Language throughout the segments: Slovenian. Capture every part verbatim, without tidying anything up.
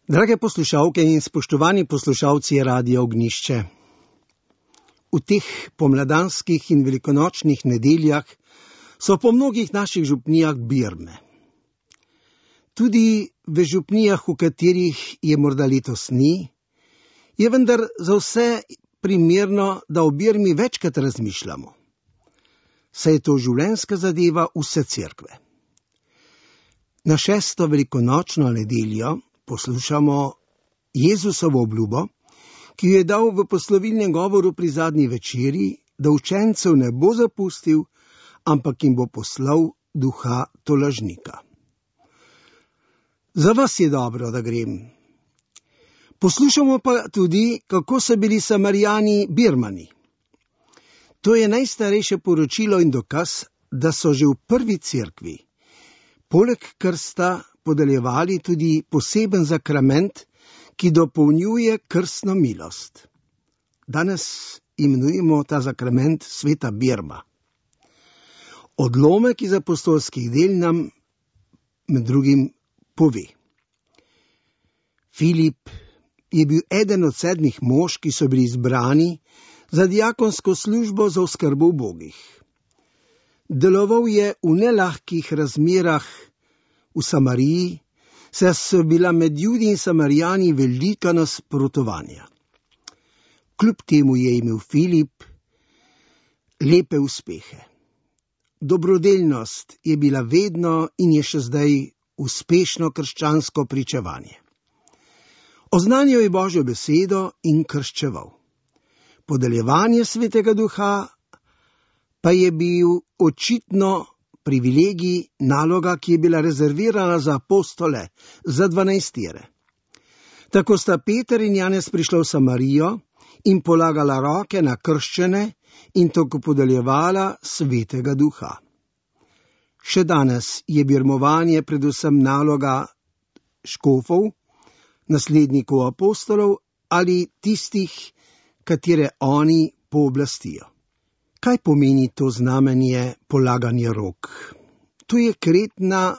Drage poslušalke in spoštovani poslušalci Radia Ognjišče. V teh pomladanskih in velikonočnih nedeljah so po mnogih naših župnijah birme. Tudi v župnijah, v katerih je morda letos ni, je vendar za vse primerno, da o birmi večkrat razmišljamo. Saj je to življenjska zadeva vse cerkve. Na šesto velikonočno nedeljo poslušamo Jezusovo obljubo, ki jo je dal v poslovilnem govoru pri zadnji večerji, da učencev ne bo zapustil, ampak jim bo poslal duha tolažnika. Za vas je dobro, da grem. Poslušamo pa tudi, kako so bili Samarijani birmani. To je najstarejše poročilo in dokaz, da so že v prvi cerkvi poleg krsta podeljevali tudi poseben zakrament, ki dopolnjuje krstno milost. Danes imenujemo ta zakrament sveta birma. Odlomek iz apostolskih del nam med drugim pove. Filip je bil eden od sedmih mož, ki so bili izbrani za diakonsko službo za oskrbo ubogih. Deloval je v nelahkih razmerah v Samariji, saj so bila med Judi in Samarijani velika nasprotovanja. Kljub temu je imel Filip lepe uspehe. Dobrodelnost je bila vedno in je še zdaj uspešno krščansko pričevanje. Oznanjal je Božjo besedo in krščeval. Podeljevanje svetega duha pa je bil očitno privilegij, naloga, ki je bila rezervirana za apostole, za dvanajstere. Tako sta Peter in Janez prišla v Samarijo in polagala roke na krščene in tako podeljevala svetega duha. Še danes je birmovanje predvsem naloga škofov, naslednikov apostolov ali tistih, katere oni pooblastijo. Kaj pomeni to znamenje polaganje rok? To je kretna,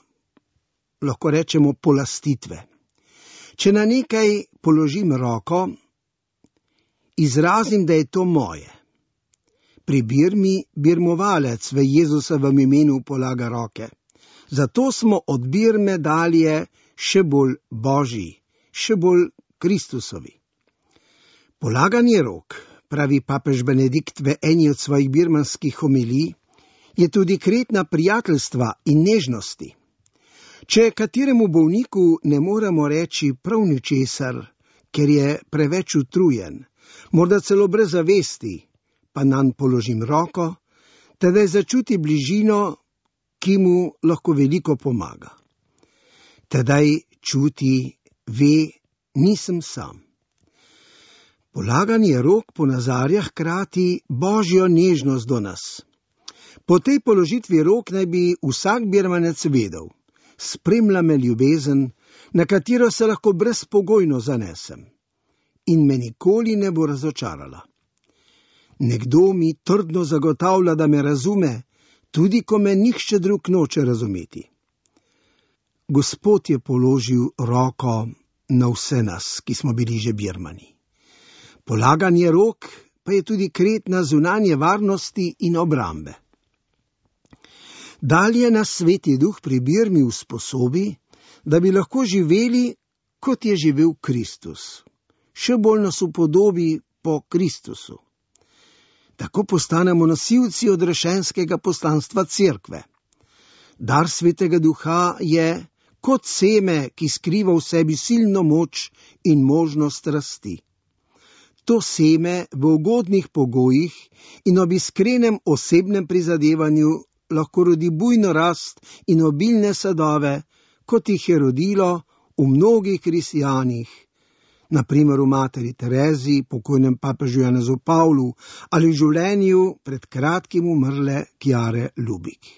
lahko rečemo, polastitve. Če na nekaj položim roko, izrazim, da je to moje. Pri birmi birmovalec v Jezusovem imenu polaga roke. Zato smo od birme dalje še bolj Božji, še bolj Kristusovi. Polaganje rok, pravi papež Benedikt v eni od svojih birmanskih homilij, je tudi kretna prijateljstva in nežnosti. Če kateremu bolniku ne moremo reči prav ničesar, ker je preveč utrujen, morda celo brez zavesti, pa nanj položim roko, tedaj začuti bližino, ki mu lahko veliko pomaga. Tedaj čuti, ve, nisem sam. Polaganje rok ponazarja hkrati Božjo nežnost do nas. Po tej položitvi rok naj bi vsak birmanec vedel, spremlja me ljubezen, na katero se lahko brezpogojno zanesem in me nikoli ne bo razočarala. Nekdo mi trdno zagotavlja, da me razume, tudi ko me nihče drug noče razumeti. Gospod je položil roko na vse nas, ki smo bili že birmani. Polaganje rok pa je tudi kretna zunanje varnosti in obrambe. Dalje nas sveti duh pri birmi usposobi, da bi lahko živeli, kot je živel Kristus. Še bolj nas upodobi po Kristusu. Tako postanemo nosilci odrešenskega poslanstva cerkve. Dar svetega duha je kot seme, ki skriva v sebi silno moč in možnost rasti. To seme v ugodnih pogojih in ob iskrenem osebnem prizadevanju lahko rodi bujno rast in obilne sadove, kot jih je rodilo v mnogih kristjanih, na primer v materi Terezi, pokojnem papežu Janezu Pavlu ali v življenju pred kratkim umrle Kjare Lubik.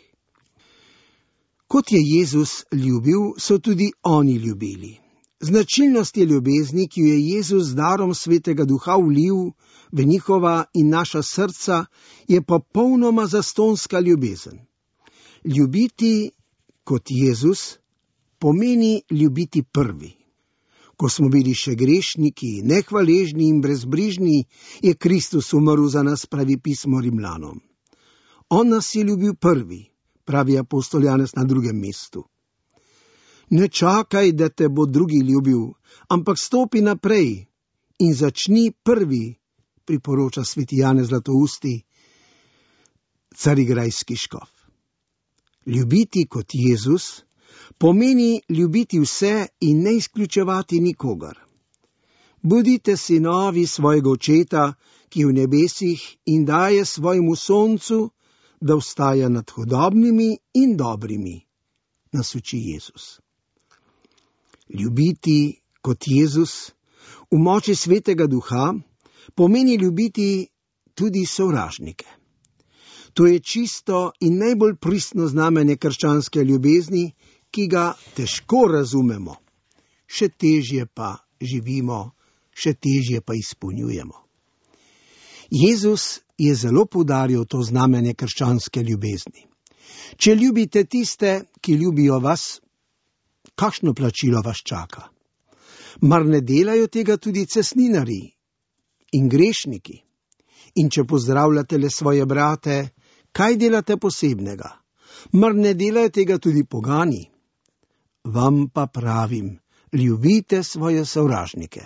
Kot je Jezus ljubil, so tudi oni ljubili. Značilnost je ljubezni, ki jo je Jezus z darom svetega duha vlil v njihova in naša srca, je popolnoma zastonska ljubezen. Ljubiti kot Jezus pomeni ljubiti prvi. Ko smo bili še grešniki, nehvaležni in brezbrižni, je Kristus umrl za nas, pravi pismo Rimljanom. On nas je ljubil prvi, pravi apostol Janez na drugem mestu. Ne čakaj, da te bo drugi ljubil, ampak stopi naprej in začni prvi, priporoča sveti Janez Zlatousti, carigrajski škof. Ljubiti kot Jezus pomeni ljubiti vse in ne izključevati nikogar. Budite sinovi svojega očeta, ki je v nebesih in daje svojemu soncu, da vstaja nad hudobnimi in dobrimi, nas uči Jezus. Ljubiti kot Jezus v moči Svetega Duha pomeni ljubiti tudi sovražnike. To je čisto in najbolj pristno znamenje krščanske ljubezni, ki ga težko razumemo, še težje pa živimo, še težje pa izpolnjujemo. Jezus je zelo poudaril to znamenje krščanske ljubezni. Če ljubite tiste, ki ljubijo vas, kakšno plačilo vas čaka? Mar ne delajo tega tudi cestninarji in grešniki? In če pozdravljate le svoje brate, kaj delate posebnega? Mar ne delajo tega tudi pogani? Vam pa pravim, ljubite svoje sovražnike.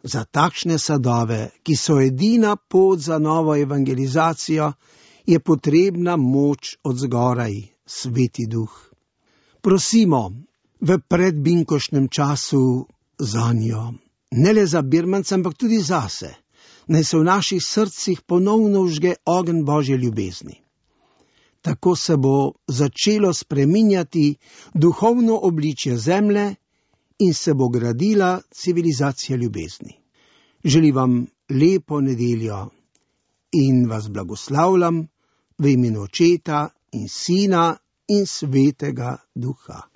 Za takšne sadove, ki so edina pot za novo evangelizacijo, je potrebna moč od zgoraj, Sveti Duh. Prosimo v predbinkošnem času zanjo, ne le za Birmance, ampak tudi zase, naj se v naših srcih ponovno vžge ogenj Božje ljubezni. Tako se bo začelo spreminjati duhovno obličje zemlje in se bo gradila civilizacija ljubezni. Želim vam lepo nedeljo in vas blagoslavljam v imenu Očeta in Sina in Svetega Duha.